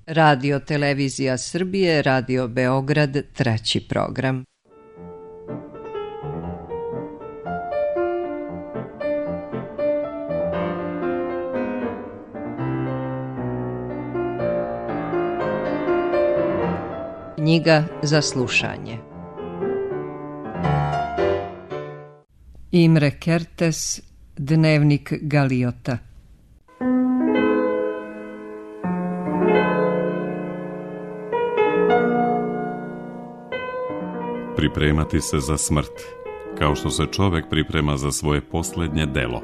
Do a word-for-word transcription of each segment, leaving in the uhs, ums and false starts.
Radio Televizija Srbije, Radio Beograd, treći program. Knjiga za slušanje. Imre Kertész, Dnevnik Galiota. Pripremati se za smrt, kao što se čovjek priprema za svoje posljednje delo.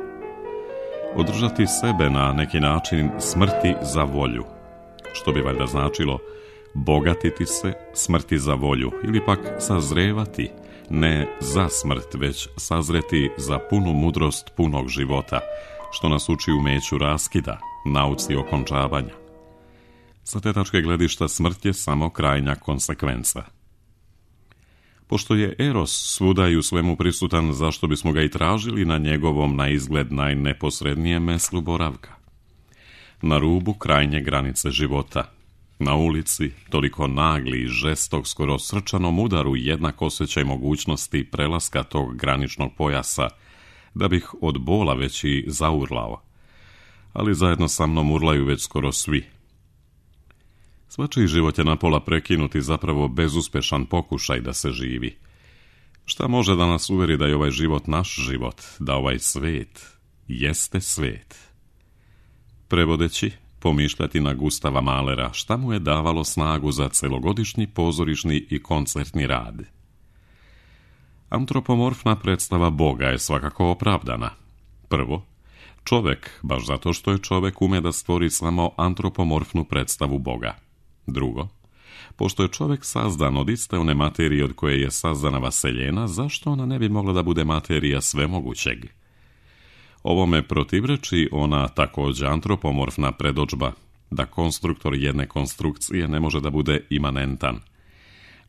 Održati sebe na neki način smrti za volju, što bi valjda značilo bogatiti se smrti za volju ili pak sazrevati, ne za smrt, već sazreti za punu mudrost punog života, što nas uči umeću raskida, nauci okončavanja. Sa te tačke gledišta smrt je samo krajnja konsekvenca. Pošto je Eros svuda i u svemu prisutan, zašto bismo ga i tražili na njegovom na izgled najneposrednijem meslu boravka? Na rubu krajnje granice života, na ulici, toliko nagli i žestok, skoro srčanom udaru jednak osjećaj mogućnosti prelaska tog graničnog pojasa, da bih od bola već i zaurlao. Ali zajedno sa mnom urlaju već skoro svi. Svačiji život je napola prekinuti, zapravo bezuspešan pokušaj da se živi. Šta može da nas uveri da je ovaj život naš život, da ovaj svet jeste svet? Prevodeći, pomišljati na Gustava Mahlera, šta mu je davalo snagu za celogodišnji pozorišni i koncertni rad. Antropomorfna predstava Boga je svakako opravdana. Prvo, čovek, baš zato što je čovek, ume da stvori samo antropomorfnu predstavu Boga. Drugo, pošto je čovek sazdan od iste one materije od koje je sazdana vaseljena, zašto ona ne bi mogla da bude materija svemogućeg? Ovome protivreči ona također antropomorfna predodžba, da konstruktor jedne konstrukcije ne može da bude imanentan.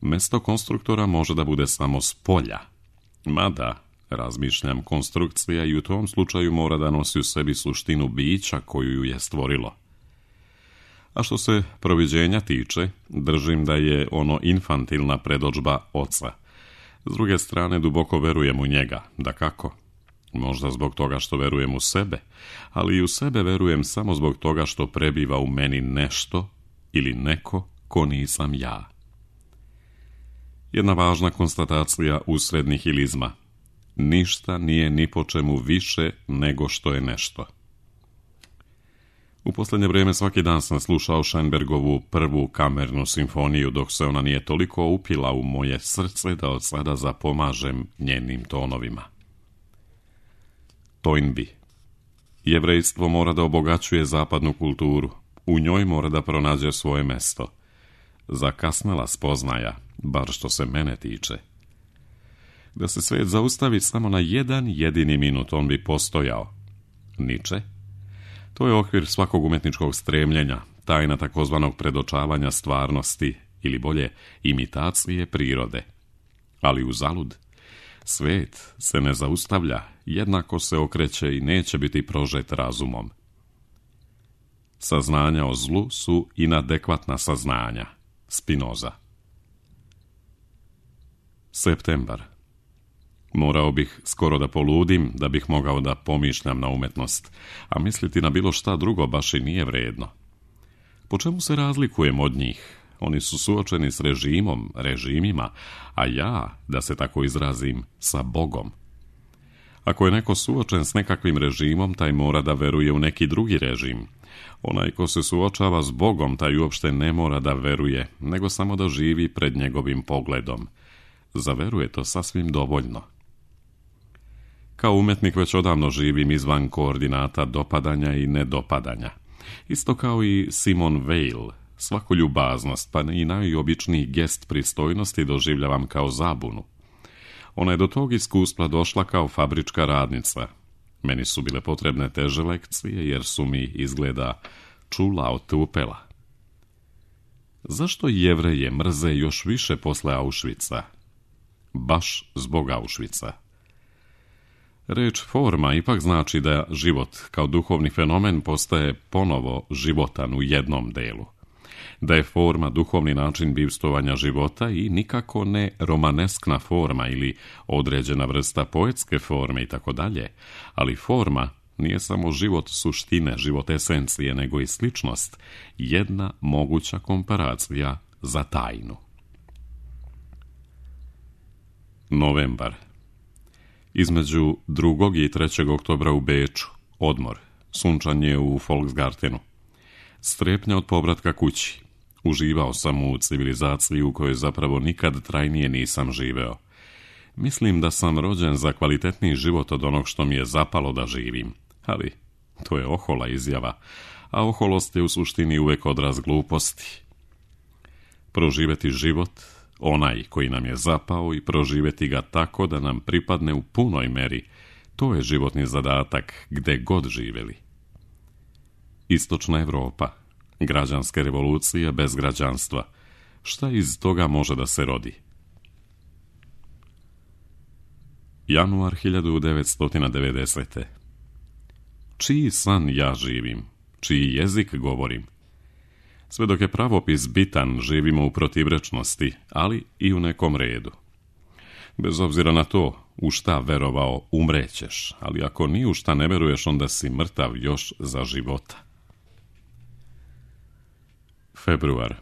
Mesto konstruktora može da bude samo s polja. Mada, razmišljam, konstrukcija i u tom slučaju mora da nosi u sebi suštinu bića koju ju je stvorilo. A što se proviđenja tiče, držim da je ono infantilna predodžba oca. S druge strane, duboko verujem u njega, dakako. Možda zbog toga što verujem u sebe, ali i u sebe verujem samo zbog toga što prebiva u meni nešto ili neko ko nisam ja. Jedna važna konstatacija usred nihilizma. Ništa nije ni po čemu više nego što je nešto. U posljednje vrijeme svaki dan sam slušao Schoenbergovu prvu kamernu simfoniju, dok se ona nije toliko upila u moje srce da od sada zapomažem njenim tonovima. Toynbee. Jevrejstvo mora da obogaćuje zapadnu kulturu, u njoj mora da pronađe svoje mesto. Zakasnela spoznaja, bar što se mene tiče. Da se svet zaustavi samo na jedan jedini minut, on bi postojao. Niče? To je okvir svakog umetničkog stremljenja, tajna takozvanog predočavanja stvarnosti, ili bolje, imitacije prirode. Ali uzalud. Svet se ne zaustavlja, jednako se okreće i neće biti prožet razumom. Saznanja o zlu su inadekvatna saznanja. Spinoza. Septembar. Morao bih skoro da poludim da bih mogao da pomišljam na umetnost, a misliti na bilo šta drugo baš i nije vredno. Po čemu se razlikujem od njih? Oni su suočeni s režimom, režimima, a ja, da se tako izrazim, sa Bogom. Ako je neko suočen s nekakvim režimom, taj mora da veruje u neki drugi režim. Onaj ko se suočava s Bogom, taj uopšte ne mora da veruje, nego samo da živi pred njegovim pogledom. Za veru je to sasvim dovoljno. Kao umetnik već odavno živim izvan koordinata dopadanja i nedopadanja. Isto kao i Simone Weil, svaku ljubaznost, pa i najobičniji gest pristojnosti doživljavam kao zabunu. Ona je do tog iskustva došla kao fabrička radnica. Meni su bile potrebne teže lekcije, jer su mi, izgleda, čula otupela. Zašto Jevreje mrze još više posle Auschwitza? Baš zbog Auschwitza. Reč forma ipak znači da život kao duhovni fenomen postaje ponovo životan u jednom delu. da je forma duhovni način bivstovanja života i nikako ne romaneskna forma ili određena vrsta poetske forme i tako dalje, ali forma nije samo život suštine, život esencije, nego i sličnost, jedna moguća komparacija za tajnu. Novembar. Između drugog i trećeg oktobra u Beču, odmor, sunčanje u Volksgartenu. Strepnja od povratka kući. Uživao sam u civilizaciji u kojoj zapravo nikad trajnije nisam živeo. Mislim da sam rođen za kvalitetniji život od onog što mi je zapalo da živim. Ali to je ohola izjava, a oholost je u suštini uvek odraz gluposti. Proživeti život, onaj koji nam je zapao, i proživeti ga tako da nam pripadne u punoj meri, to je životni zadatak gde god živeli. Istočna Evropa, građanske revolucije bez građanstva. Šta iz toga može da se rodi? Januar hiljadu devetsto devedesete. Čiji san ja živim? Čiji jezik govorim? Sve dok je pravopis bitan, živimo u protivrečnosti, ali i u nekom redu. Bez obzira na to, u šta verovao, umrećeš, ali ako ni u šta ne veruješ, onda si mrtav još za života. Februar.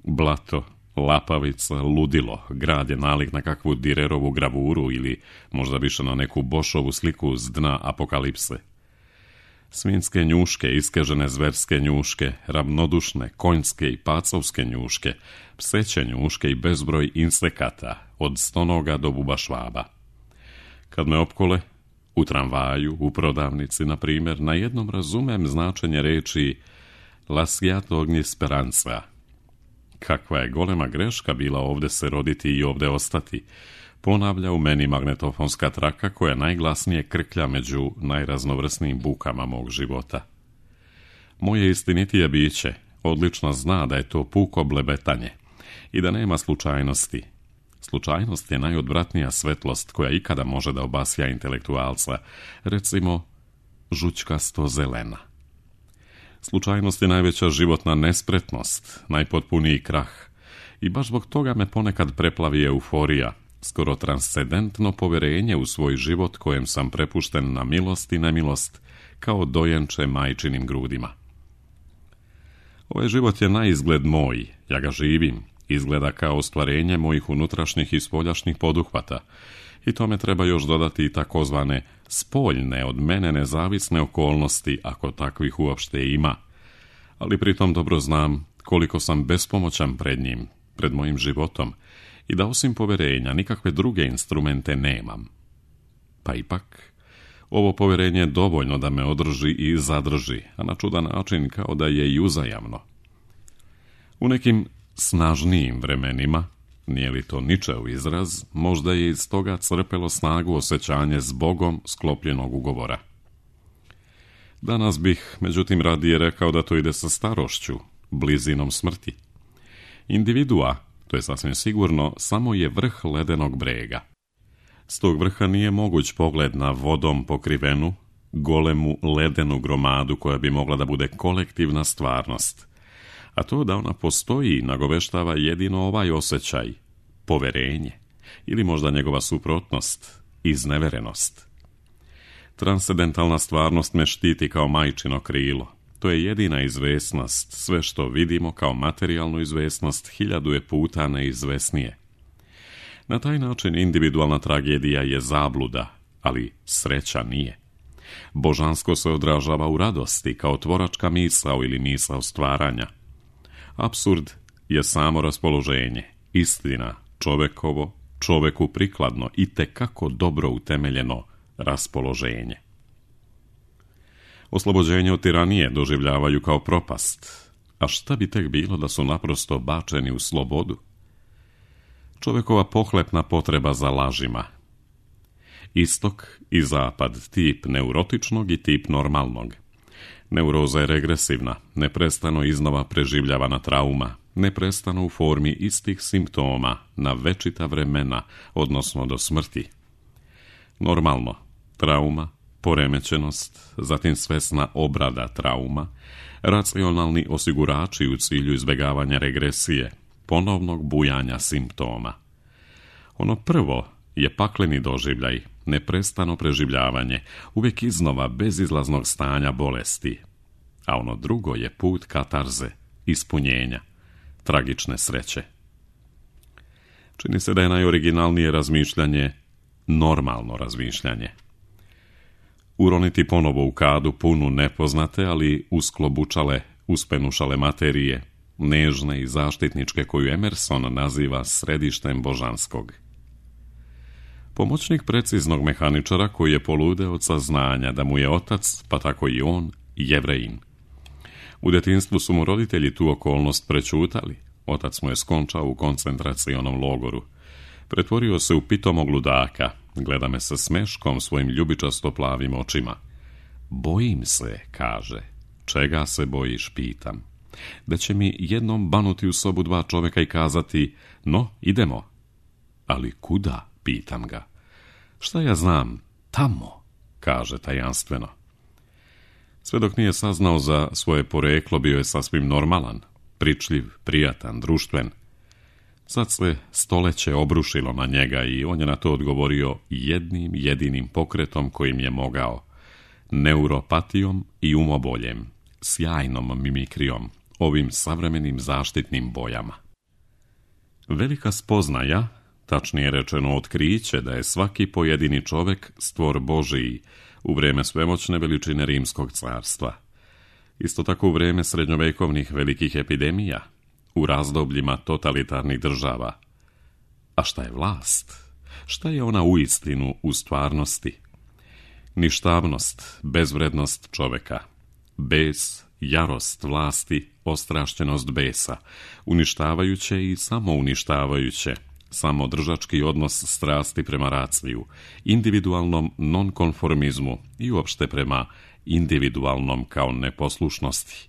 Blato, lapavica, ludilo, grad je nalik na kakvu Direrovu gravuru ili možda više na neku Bošovu sliku s dna apokalipse. Svinjske njuške, iskežene zverske njuške, ravnodušne, konjske i pacovske njuške, pseće njuške i bezbroj insekata, od stonoga do bubašvaba. Kad me opkole, u tramvaju, u prodavnici, na primjer, na jednom razumem značenje reči lasciat ogni speranza. Kakva je golema greška bila ovde se roditi i ovde ostati, ponavlja u meni magnetofonska traka koja najglasnije krklja među najraznovrsnijim bukama mog života. Moje istinitije biće odlično zna da je to puko blebetanje i da nema slučajnosti. Slučajnost je najodvratnija svetlost koja ikada može da obasja intelektualca, recimo žućkasto zelena. Slučajnost je najveća životna nespretnost, najpotpuniji krah, i baš zbog toga me ponekad preplavi euforija, skoro transcendentno poverenje u svoj život kojem sam prepušten na milost i nemilost, kao dojenče majčinim grudima. Ovaj život je na izgled moj, ja ga živim, izgleda kao ostvarenje mojih unutrašnjih i spoljašnjih poduhvata, i tome treba još dodati i takozvane spoljne, od mene nezavisne okolnosti, ako takvih uopšte ima, ali pritom dobro znam koliko sam bespomoćan pred njim, pred mojim životom, i da osim poverenja nikakve druge instrumente nemam. Pa ipak, ovo poverenje je dovoljno da me održi i zadrži, a na čudan način kao da je i uzajamno. U nekim snažnijim vremenima, nije li to ničev izraz, možda je iz toga crpelo snagu osjećanje s Bogom sklopljenog ugovora. Danas bih, međutim, radije rekao da to ide sa starošću, blizinom smrti. Individua, to je sasvim sigurno, samo je vrh ledenog brega. S tog vrha nije moguć pogled na vodom pokrivenu, golemu ledenu gromadu koja bi mogla da bude kolektivna stvarnost. A to da ona postoji nagoveštava jedino ovaj osjećaj, poverenje, ili možda njegova suprotnost, izneverenost. Transcendentalna stvarnost me štiti kao majčino krilo. To je jedina izvesnost, sve što vidimo kao materijalnu izvesnost hiljadu je puta neizvesnije. Na taj način individualna tragedija je zabluda, ali sreća nije. Božansko se odražava u radosti kao tvoračka misao ili misao stvaranja. Apsurd je samo raspoloženje, istina, čovekovo, čoveku prikladno i tekako dobro utemeljeno raspoloženje. Oslobođenje od tiranije doživljavaju kao propast, a šta bi tek bilo da su naprosto bačeni u slobodu? Čovekova pohlepna potreba za lažima. Istok i zapad, tip neurotičnog i tip normalnog. Neuroza je regresivna, neprestano iznova preživljavana trauma, neprestano u formi istih simptoma na večita vremena, odnosno do smrti. Normalno, trauma, poremećenost, zatim svesna obrada trauma, racionalni osigurači u cilju izbjegavanja regresije, ponovnog bujanja simptoma. Ono prvo je pakleni doživljaj, neprestano preživljavanje, uvijek iznova bezizlaznog stanja bolesti, a ono drugo je put katarze, ispunjenja, tragične sreće. Čini se da je najoriginalnije razmišljanje normalno razmišljanje. Uroniti ponovo u kadu punu nepoznate, ali usklobučale, uspenušale materije, nežne i zaštitničke koju Emerson naziva središtem božanskog. Pomoćnik preciznog mehaničara koji je poludeo od saznanja da mu je otac, pa tako i on, Jevrejin. U djetinjstvu su mu roditelji tu okolnost prečutali. Otac mu je skončao u koncentracionom logoru. Pretvorio se u pitomog ludaka, gleda me sa smeškom svojim ljubičasto plavim očima. Bojim se, kaže. Čega se bojiš, pitam. Da će mi jednom banuti u sobu dva čovjeka i kazati, no, idemo. Ali kuda, pitam ga. Šta ja znam, tamo, kaže tajanstveno. Sve dok nije saznao za svoje poreklo, bio je sasvim normalan, pričljiv, prijatan, društven. Sad se stoleće obrušilo na njega i on je na to odgovorio jednim jedinim pokretom kojim je mogao. Neuropatijom i umoboljem, sjajnom mimikrijom, ovim savremenim zaštitnim bojama. Velika spoznaja, tačnije rečeno otkriće da je svaki pojedini čovjek stvor Božiji u vrijeme svemoćne veličine Rimskog carstva. Isto tako u vrijeme srednjovekovnih velikih epidemija, u razdobljima totalitarnih država. A šta je vlast? Šta je ona uistinu u stvarnosti? Ništavnost, bezvrednost čovjeka, bes, jarost vlasti, ostrašćenost besa, uništavajuće i samouništavajuće, samodržački odnos strasti prema raciju, individualnom nonkonformizmu i uopšte prema individualnom kao neposlušnosti.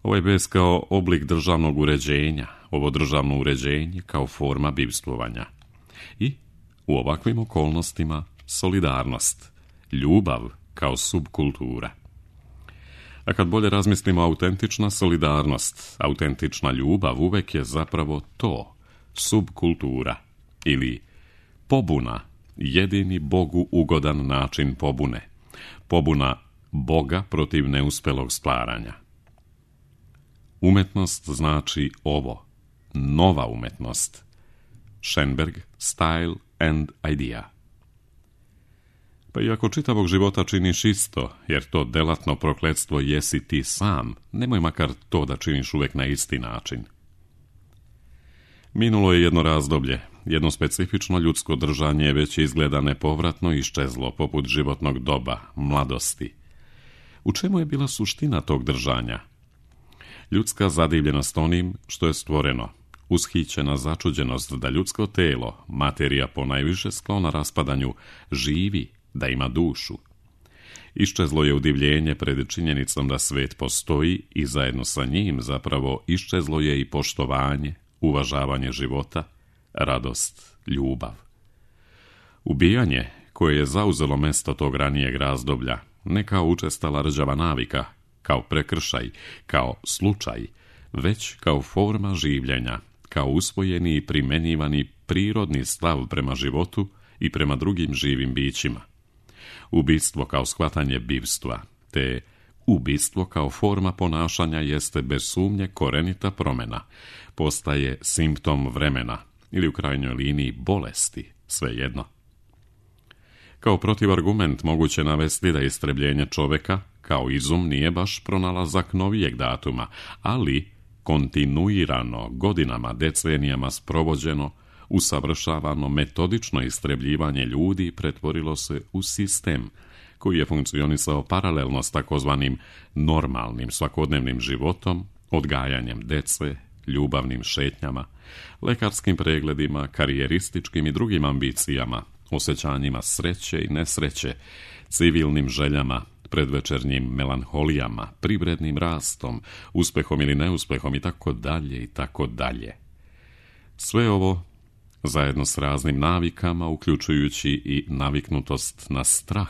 Ovaj bes kao oblik državnog uređenja, ovo državno uređenje kao forma bivstvovanja. I u ovakvim okolnostima solidarnost, ljubav kao subkultura. A kad bolje razmislimo, autentična solidarnost, autentična ljubav uvek je zapravo to, subkultura ili pobuna, jedini Bogu ugodan način pobune, pobuna Boga protiv neuspelog stvaranja. Umetnost znači ovo, nova umetnost. Schoenberg, Style and Idea. Pa iako čitavog života činiš isto, jer to delatno prokletstvo jesi ti sam, nemoj makar to da činiš uvek na isti način. Minulo je jedno razdoblje, jedno specifično ljudsko držanje već izgleda nepovratno iščezlo poput životnog doba, mladosti. U čemu je bila suština tog držanja? Ljudska zadivljenost onim što je stvoreno, ushićena začuđenost da ljudsko telo, materija ponajviše sklona raspadanju, živi, da ima dušu. Iščezlo je udivljenje pred činjenicom da svet postoji i zajedno sa njim zapravo iščezlo je i poštovanje, uvažavanje života, radost, ljubav. Ubijanje koje je zauzelo mesto tog ranijeg razdoblja, ne kao učestala rđava navika, kao prekršaj, kao slučaj, već kao forma življenja, kao usvojeni i primenjivani prirodni stav prema životu i prema drugim živim bićima. Ubistvo kao shvatanje bivstva, te ubistvo kao forma ponašanja jeste bez sumnje korenita promjena, postaje simptom vremena ili u krajnjoj liniji bolesti, svejedno. Kao protivargument moguće navesti da istrebljenje čovjeka kao izum nije baš pronalazak novijeg datuma, ali kontinuirano, godinama, decenijama sprovođeno, usavršavano metodično istrebljivanje ljudi pretvorilo se u sistem koji je funkcionisao paralelno s takozvanim normalnim svakodnevnim životom, odgajanjem dece, ljubavnim šetnjama, lekarskim pregledima, karijerističkim i drugim ambicijama, osjećanjima sreće i nesreće, civilnim željama, predvečernjim melanholijama, privrednim rastom, uspehom ili neuspehom i tako dalje i tako dalje. Sve ovo zajedno s raznim navikama, uključujući i naviknutost na strah,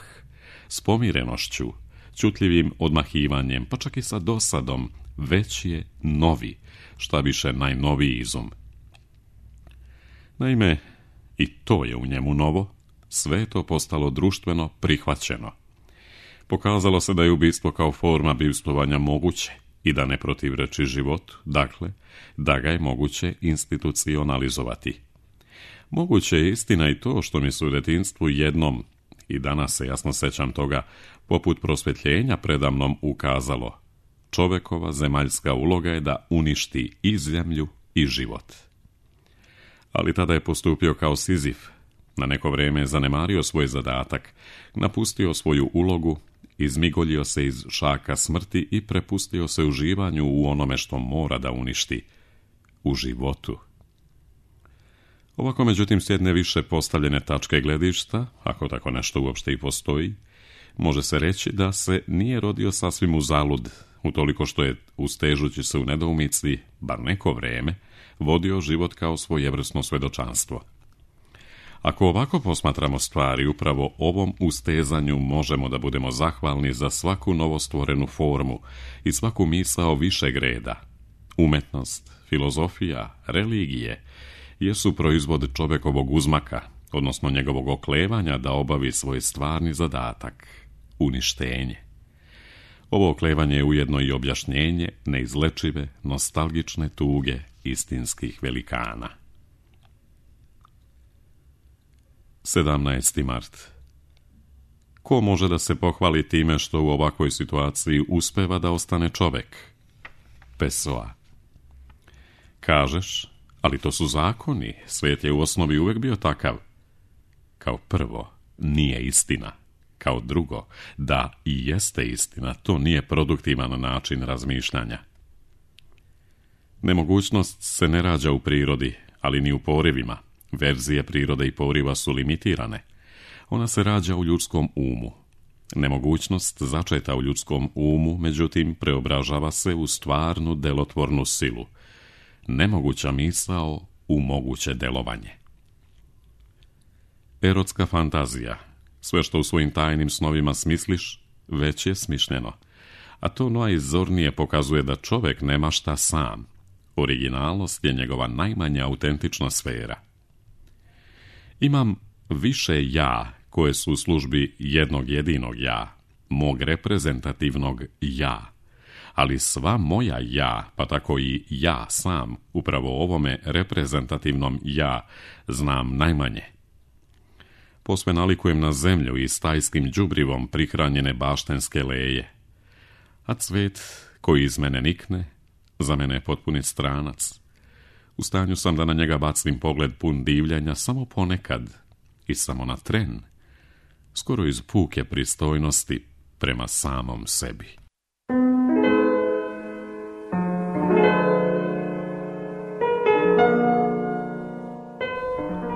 s pomirenošću, ćutljivim odmahivanjem, pa čak i sa dosadom, već je novi, šta više najnoviji izum. Naime, i to je u njemu novo, sve je to postalo društveno prihvaćeno. Pokazalo se da je ubistvo kao forma bivstvovanja moguće i da ne protivreči životu, dakle, da ga je moguće institucionalizovati. Moguće je istina i to što mi se u detinjstvu jednom, i danas se jasno sećam toga, poput prosvjetljenja predamnom ukazalo: čovekova zemaljska uloga je da uništi i zemlju i život. Ali tada je postupio kao Sizif, na neko vrijeme je zanemario svoj zadatak, napustio svoju ulogu, izmigoljio se iz šaka smrti i prepustio se uživanju u onome što mora da uništi, u životu. Ovako, međutim, s jedne više postavljene tačke gledišta, ako tako nešto uopšte i postoji, može se reći da se nije rodio sasvim uzalud, utoliko što je, ustežući se u nedoumici, bar neko vrijeme, vodio život kao svojevrsno svedočanstvo. Ako ovako posmatramo stvari, upravo ovom ustezanju možemo da budemo zahvalni za svaku novostvorenu formu i svaku misao višeg reda. Umetnost, filozofija, religije jesu proizvod čovekovog uzmaka, odnosno njegovog oklevanja da obavi svoj stvarni zadatak, uništenje. Ovo oklevanje je ujedno i objašnjenje neizlečive, nostalgične tuge istinskih velikana. sedamnaesti mart. Ko može da se pohvali time što u ovakvoj situaciji uspeva da ostane čovek? Pessoa. Kažeš, ali to su zakoni, svijet je u osnovi uvek bio takav. Kao prvo, nije istina. Kao drugo, da i jeste istina, to nije produktivan način razmišljanja. Nemogućnost se ne rađa u prirodi, ali ni u porivima. Verzije prirode i poriva su limitirane. Ona se rađa u ljudskom umu. Nemogućnost začeta u ljudskom umu, međutim, preobražava se u stvarnu delotvornu silu. Nemoguća misao u moguće delovanje. Erotska fantazija. Sve što u svojim tajnim snovima smisliš, već je smišljeno. A to najzornije pokazuje da čovek nema šta sam. Originalnost je njegova najmanja autentična sfera. Imam više ja koje su u službi jednog jedinog ja, mog reprezentativnog ja, ali sva moja ja, pa tako i ja sam, upravo ovome reprezentativnom ja, znam najmanje. Posve nalikujem na zemlju i stajskim đubrivom prihranjene baštenske leje, a cvet koji iz mene nikne, za mene je potpuni stranac. U stanju sam da na njega bacim pogled pun divljenja samo ponekad i samo na tren, skoro iz puke pristojnosti prema samom sebi.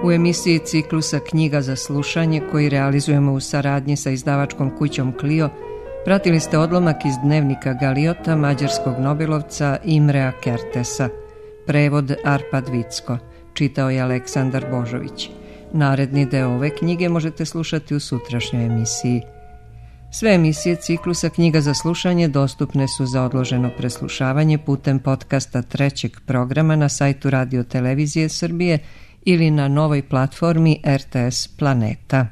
U emisiji ciklusa Knjiga za slušanje, koji realizujemo u saradnji sa izdavačkom kućom Clio, pratili ste odlomak iz dnevnika Galiota, mađarskog nobelovca Imrea Kertesa. Prevod Arpad Vicko. Čitao je Aleksandar Božović. Naredni deo ove knjige možete slušati u sutrašnjoj emisiji. Sve emisije ciklusa Knjiga za slušanje dostupne su za odloženo preslušavanje putem podcasta trećeg programa na sajtu Radio Televizije Srbije ili na novoj platformi R T S Planeta.